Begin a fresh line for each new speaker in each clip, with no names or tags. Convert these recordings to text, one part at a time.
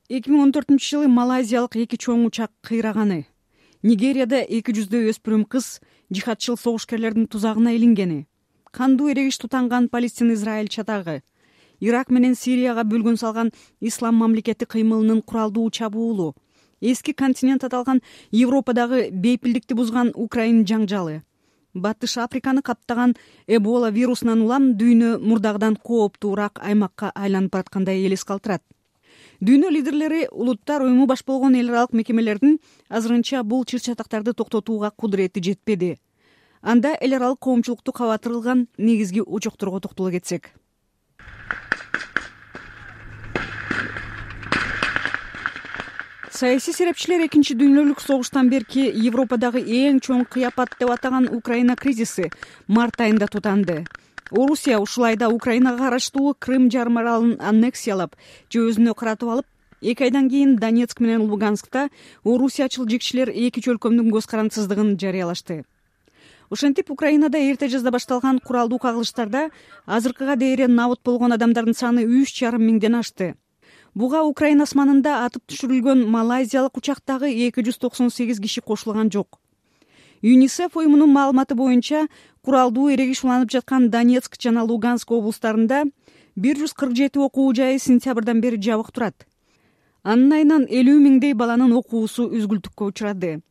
2014-жылы малайзиялык 2 чоң учак кыйраганы. Нигерияда 200 өспүрүм кыз жихадчыл согушкерлердин тузагына илингени. Кандуу эрегиш тутанган Палестин-Израиль чатагы. Ирак менен Сирияга бөлгүн салган Ислам мамлекети кыймылынын куралдуу чабуулу. Эски континент аталган Европадагы бейпилдикти бузган Украина жаңжалы. Батыш Африканы каптаган Эбола вирусунан улам дүйнө мурдагыдан кооптуураак аймакка айланып бараткандай элес калтырат. Дүйнө лидерлери улуттар уюму баш болгон эл аралык мекемелердин азырынча бул чыр-чатактарды токтотууга кудурети жетпеди. Анда эл аралык коомчулукту кабатырылган негизги очокторго токтоло кетсек. Саясий серепчилер экинчи дүйнөлүк согуштан берки Европадагы эң чоң кыяпат деп атаган Украина кризиси март айында тутанды. Орусия ушул айда Украинага караштуу Крым жарым аралын аннексиялап же өзүнө каратып алып, 2 айдан кийин Донецк менен Луганскта орусиячыл жекчилер эки чөлкөмдүн көз карандысыздыгын жарыялашты. Ошентип Украинада эрте жазда башталган куралдуу кагылыштарда азыркыга дейин набыт болгон адамдардын саны 3,5 миңден ашты. Буга Украина асманында атып түшүрүлгөн малайзиялык учактагы 298 киши кошулган жок. ЮНИСЕФ уюмунун маалыматы боюнча куралдуу эрегиш уланып жаткан Донецк жана Луганск облустарында 147 окуу жайы сентябрдан бери жабык турат. Анын айынан 50 миңдей баланын окуусу үзгүлтүккө учурады.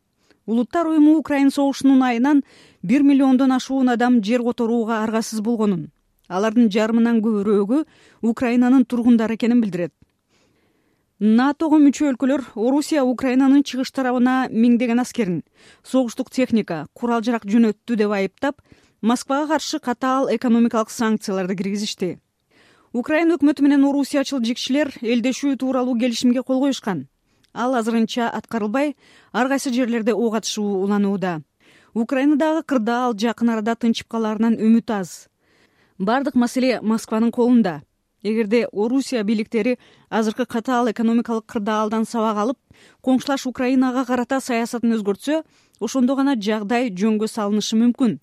Улуттар уюму Украина согушунун айынан 1 миллиондон ашуун адам жер которууга аргасыз болгонун, алардын жарымынан көбүрөөгү Украинанын тургундары экенин билдирет. НАТОго мүчө өлкөлөр Орусия Украинанын чыгыш тарабына миңдеген аскерин, согуштук техника, курал-жарак жөнөттү деп айыптап, Москвага каршы катаал экономикалык санкцияларды киргизишти. Украина өкмөтү менен орусиячыл жекчилер элдешүү тууралуу келишимге кол коюшкан. Ал азырынча аткарылбай, ар кайсы жерлерде ок атышуу уланууда. Украинадагы кырдаал жакын арада тынчып калаарынан үмүт аз. Бардык маселе Москванын колунда. Эгерде Орусия бийликтери азыркы катаал экономикалык кырдаалдан сабак алып, коңшулаш Украинага карата саясатын өзгөртсө, ошондо гана жагдай жөнгө салынышы мүмкүн,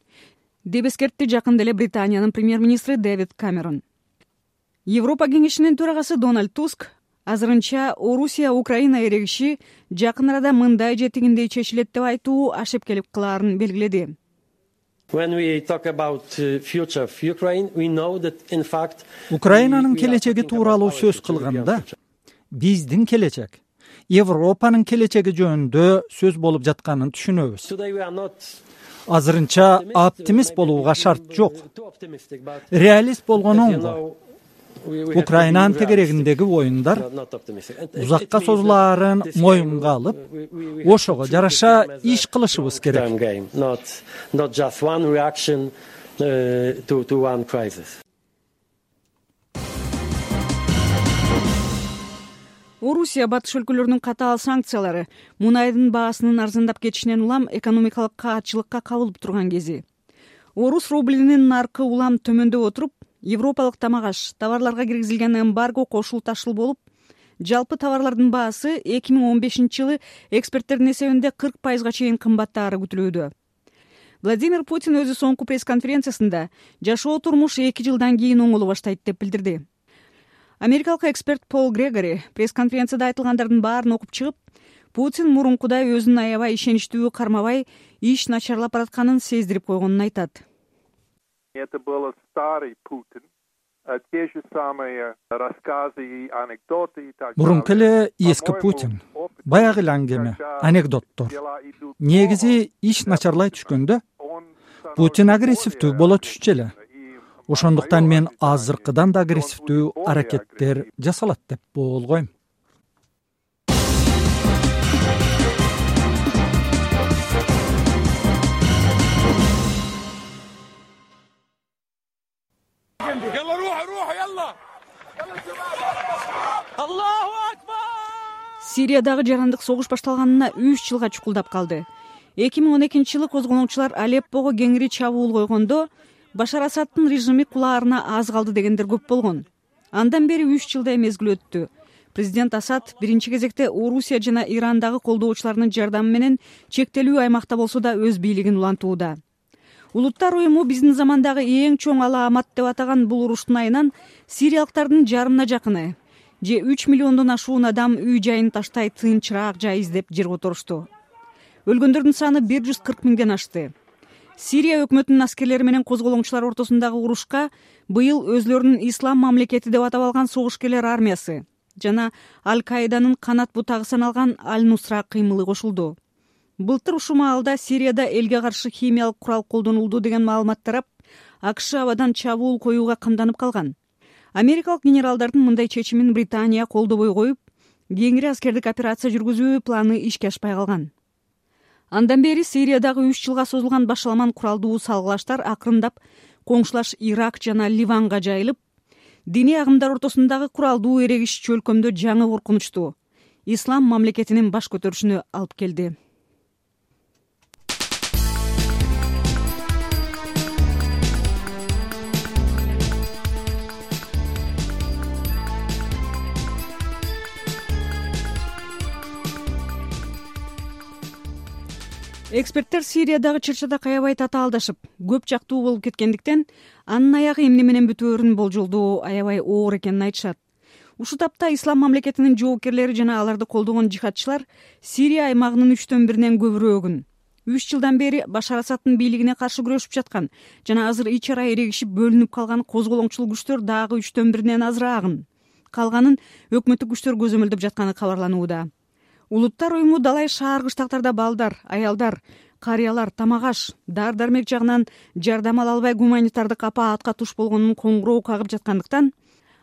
деп эскертти жакында эле Британиянын премьер-министри Дэвид Камерон. Европа кеңешинин төрагасы Дональд Туск азырынча Орусия Украина эрегиши жакын арада мындай же тигиндей чечилет деп айтуу ашеп келип калаарын белгиледи.
Украинанын келечеги тууралуу сөз кылганда, биздин келечек, Европанын келечеги жөнүндө сөз болуп жатканын түшүнөбүз. Азырынча оптимист болууга шарт жок. Реалист болгону оңго. Украинанын тегерегиндеги оюндар узакка созулаарын моюнга алып, ошого жараша иш кылышыбыз керек.
Орусия батыш өлкөлөрүнүн катаал санкциялары мунайдын баасынын арзандап кетишинен улам экономикалык каатчылыкка кабылып турган кези. Орус рублинин наркы улам төмөндөп отуруп, Европалык тамак-аш товарларга киргизилген эмбарго кошул-ташыл болуп, жалпы товарлардын баасы 2015-жылы эксперттердин эсебинде 40% чейин кымбаттаары күтүлүүдө. Владимир Путин өзү соңку пресс-конференциясында жашоо турмуш 2 жылдан кийин оңоло баштайт деп билдирди. Америкалык эксперт Пол Грегори пресс-конференцияда айтылгандардын баарын окуп чыгып, Путин мурункудай өзүн аябай ишеничтүү кармабай, иш начарлап баратканын сездирип койгонун айтат.
Это был старый Путин, те же самые рассказы и анекдоты.
Мурунку эле эски Путин, баягы эле аңгеме, анекдоттор. Негизи иш начарлай түшкөндө Путин агрессивдүү боло түшчү эле. Ошондуктан мен азыркыдан да агрессивдүү аракеттер жасалат деп болгойм.
Сириядагы жарандык согуш башталганына 3 жылга чукулдап калды. 2012-жылы козгоноочулар Алеппого кеңири чабуул койгондо, Башар Асадтын режими кулаарына аз калды дегендер көп болгон. Андан бери 3 жылдай мезгил өттү. Президент Асад биринчи кезекте Орусия жана Ирандагы колдоочуларынын жардамы менен чектелүү аймакта болсо да өз бийлигин улантууда. Улуттар уюму биздин замандагы эң чоң алаамат деп атаган бул уруштун айынан сириялыктардын жарымына жакыны же 3 миллиондон ашуун адам үй жайын таштай тынчыраак жай издеп жерге отурушту. Өлгөндөрдүн саны 140 миңден ашты. Сирия өкмөтүнүн аскерлери менен козголоңчулар ортосундагы урушка быйыл өзлөрүнүн ислам мамлекети деп атап алган согушкерлер армиясы жана Аль-Каиданын канат бутагы саналган Аль-Нусра кыймылы кошулду. Былтыр ушул маалда Сирияда элге каршы химиялык курал колдонулду деген маалымат тарап, АКШ абадан чабуул коюуга камданып калган. Америкалык генералдардын мындай чечимин Британия колдобой коюп, кеңири аскердик операция жүргүзүү планы ишке ашпай калган. Андан бери Сириядагы 3 жылга созулган башаламан куралдуу салгылаштар акырындап коңшулаш Ирак жана Ливанга жайылып, диний агымдар ортосундагы куралдуу эрегиш чөлкөмдө жаңы коркунучту ислам мамлекетинин баш көтөрүшүнө алып келди. Эксперттер Сириядагы чырчатак аябай татаалдашып, көп жактуу болуп кеткендиктен, анын аягы эмне менен бүтөөрүн болжолдоо аябай оор экенин айтышат. Ушул тапта ислам мамлекетинин жоокерлери жана аларды колдогон жихадчылар Сирия аймагынын 1/3 көбүрөөгүн 3 жылдан бери Башар Асадтын бийлигине каршы күрөшүп жаткан жана азыр ич ара эрегишип бөлүнүп калган козголоңчул күчтөр дагы 1/3 азыраагын, калганын өкмөттүк күчтөр көзөмөлдөп жатканы кабарланууда. Улуттар уюму далай шаар кыштактарда балдар, аялдар, карыялар тамак аш, дар-дармек жагынан жардам ала албай гуманитардык апаатка туш болгонун коңгуроо кагып жаткандыктан,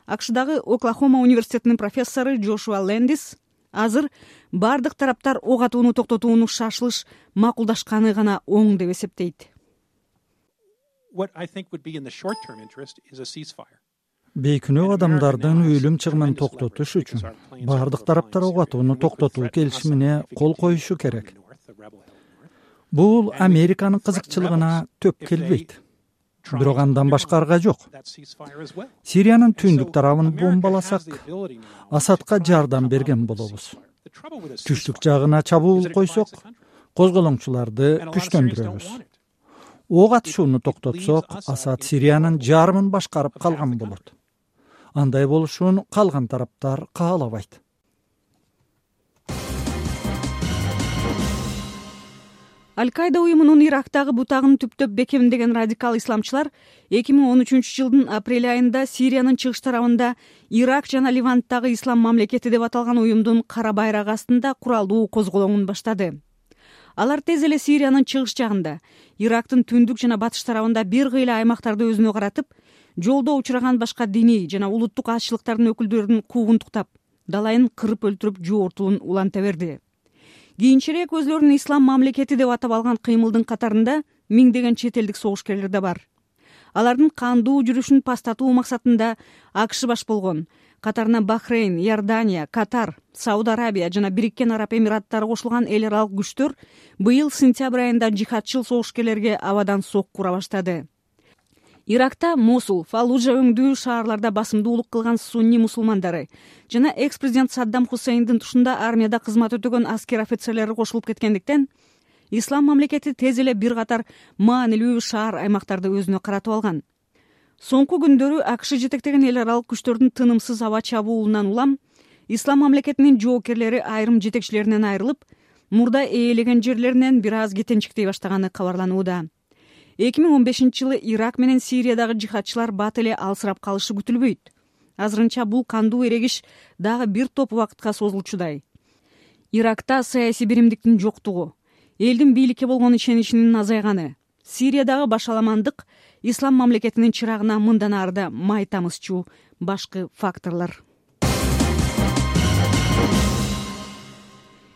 АКШдагы Оклахома университетинин профессору Джошуа Лэндис азыр бардык тараптар ок атууну токтотууну шашылыш макулдашканы гана оң деп эсептейт.
Бейкүнөө адамдардын өлүм чыгымын токтотуш үчүн бардык тараптар ок атууну токтотуу келишимине кол коюшу керек. Бул Американын кызыкчылыгына төп келбейт. Бирок андан башка арга жок. Сириянын түндүк тарабын бомбаласак, Асадка жардам берген болобуз. Түштүк жагына чабуул койсок, козголоңчуларды күчтөндүрөбүз. Ок атышууну токтотсок, Асад Сириянын жарымын башкарып калган болот. Андай болушун калган тараптар каалабайт.
Аль-Каида уюмунун Ирактагы бутагын түптөп бекемдеген радикал исламчылар 2013 жылдын апрель айында Сириянын чыгыш тарабында Ирак жана Ливанттагы ислам мамлекети деп аталган уюмдун кара байрагы астында куралдуу козголоңун баштады. Алар тез эле Сириянын чыгыш жагында, Ирактын түндүк жана батыш тарабында бир кыйла аймактарды өзүнө каратып, жолдо учураган башка диний жана улуттук азчылыктардын өкүлдөрүн куугунтуктап, далайын кырып өлтүрүп жоортулун уланта берди. Кийинчерээк өзлөрүн ислам мамлекети деп атап алган кыймылдын катарында миңдеген чет элдик согушкерлер да бар. Алардын кандуу жүрүшүн пастатуу максатында АКШ баш болгон, катарына Бахрейн, Иордания, Катар, Сауд Арабия жана Бириккен Араб Эмираттары кошулган эл аралык күчтөр быйыл сентябрь айында жихадчыл согушкерлерге абадан сокку ура баштады. Иракта Мосул, Фаллужа өңдүү шаарларда басымдуулук кылган сунни мусулмандары жана экс-президент Саддам Хусейндин тушунда армияда кызмат өтөгөн аскер офицерлери кошулуп кеткендиктен, ислам мамлекети тез эле бир катар маанилүү шаар аймактарды өзүнө каратып алган. Соңку күндөрү АКШ жетектеген эл аралык күчтөрдүн тынымсыз аба чабуулунан улам ислам мамлекетинин жоокерлери айрым жетекчилеринен айрылып, мурда ээлеген жерлеринен бир аз кетенчиктей баштаганы кабарланууда. 2015 жылы Ирак менен Сириядагы жихадчылар бат эле алсырап калышы күтүлбөйт. Азырынча бул кандуу эрегиш дагы бир топ убакытка созулчудай. Иракта саясий биримдиктин жоктугу, элдин бийликке болгон ишеничинин азайганы, Сириядагы башаламандык ислам мамлекетинин чырагына мындан арыда май тамызчу башкы факторлор.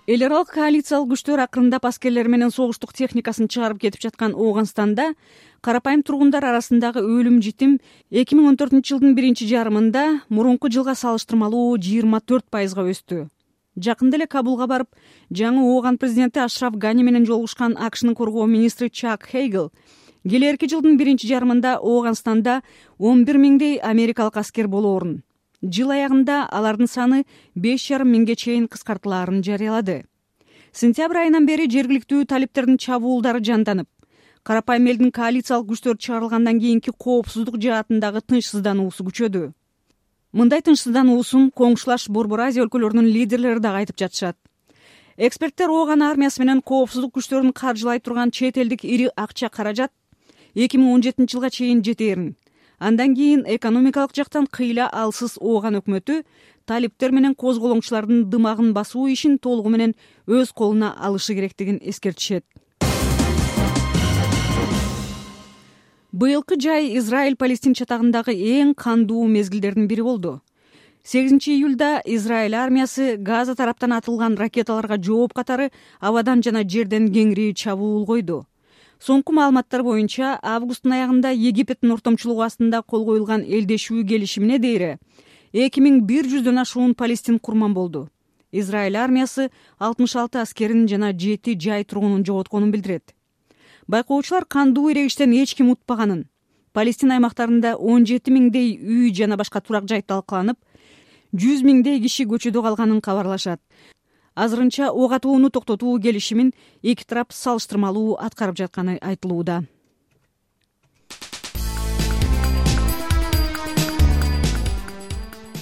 Эл аралык коалициялык күчтөр акырындап аскерлер менен согуштук техникасын чыгарып кетип жаткан Ооганстанда карапайым тургундар арасындагы өлүм житим 2014 жылдын биринчи жарымында мурунку жылга салыштырмалуу 24% өстү. Жакында эле Кабулга барып, жаңы Ооган президенти Ашраф Гани менен жолугушкан АКШнын коргоо министри Чак Хейгл келерки жылдын биринчи жарымында Ооганстанда 11 миңдей америкалык аскер болоорун, жыл аягында алардын саны 5,5 миңге чейин кыскартылаарын жарыялады. Сентябрь айынан бери жергиликтүү талиптердин чабуулдары жанданып, карапайым элдин коалициялык күчтөр чыгарылгандан кийинки коопсуздук жаатындагы тынчсыздануусу күчөдү. Мындай тынчсыздануусун коңшулаш Борбор Азия өлкөлөрүнүн лидерлери дагы айтып жатышат. Эксперттер ООН армиясы менен коопсуздук күчтөрүн каржылай турган чет элдик ири акча каражат 2017 жылга чейин жетээрин, андан кийин экономикалык жактан кыйла алсыз ООН өкмөтү талиптер менен козголоңчулардын дымагын басуу ишин толугу менен өз колуна алышы керектигин эскертишет. Быйылкы жай Израиль-Палестин чатагындагы эң кандуу мезгилдердин бири болду. 8-июлда Израиль армиясы Газа тараптан атылган ракеталарга жооп катары абадан жана жерден кеңири чабуул койду. Соңку маалыматтар боюнча, августтун аягында Египеттин ортомчулугу астында кол коюлган элдешүү келишимине дейре 2100дөн ашуун палестин курман болду. Израиль армиясы 66 аскерин жана 7 жай тургунун жоготконун билдирет. Байкоочулар кандуу ирегиштен эч ким утпаганын, Палестин аймактарында 17 миңдей үй жана башка турак жай талкаланып, 100 миңдей киши көчөдө калганын кабарлашат. Азырынча ок атууну токтотуу келишимин эки тарап салыштырмалуу аткарып жатканы айтылууда.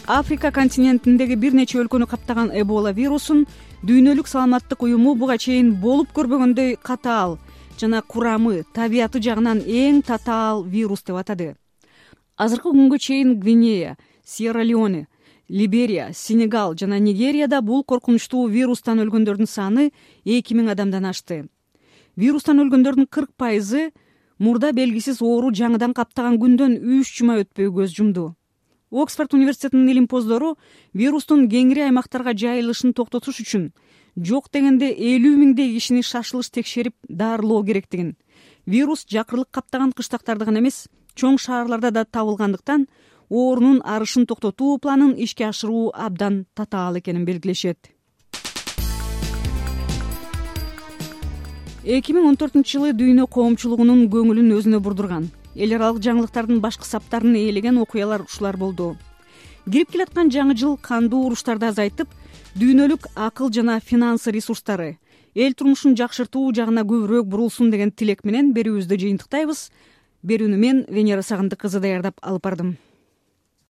Африка континентиндеги бир нече өлкөнү каптаган Эбола вирусун Дүйнөлүк саламаттык уюму буга чейин болуп көрбөгөндөй катаал жана курамы, табияты жагынан эң татаал вирус деп атады. Азыркы күнгө чейин Гвинея, Сьерра-Леоне, Либерия, Сенегал жана Нигерияда бул коркунучтуу вирустан өлгөндөрдүн саны 2000 адамдан ашты. Вирустан өлгөндөрдүн 40% мурда белгисиз оору жаңыдан каптаган күндөн 3 жума өтпөй көз жумду. Оксфорд университетинин илимпоздору вирустун кеңири аймактарга жайылышын токтотуш үчүн жок дегенде 50 миңдей кишини шашылыш текшерип дарылоо керектигин, вирус жакырлык каптаган кыштактарды гана эмес, чоң шаарларда да табылгандыктан оорунун арышын токтотуу планын ишке ашыруу абдан татаал экенин белгилешет. 2014 жылы дүйнө коомчулугунун көңүлүн өзүнө бурдурган, эл аралык жаңылыктардын башкы саптарын ээлеген окуялар ушулар болду. Кирип келаткан жаңы жыл кандуу уруштарды азайтып, дүйнөлүк акыл жана финансы ресурстары эл турмушун жакшыртуу жагына көбүрөөк бурулсун деген тилек менен берүүбүздү жыйынтыктайбыз. Берүүнү мен Венера Сагындык кызы даярдап алып бардым.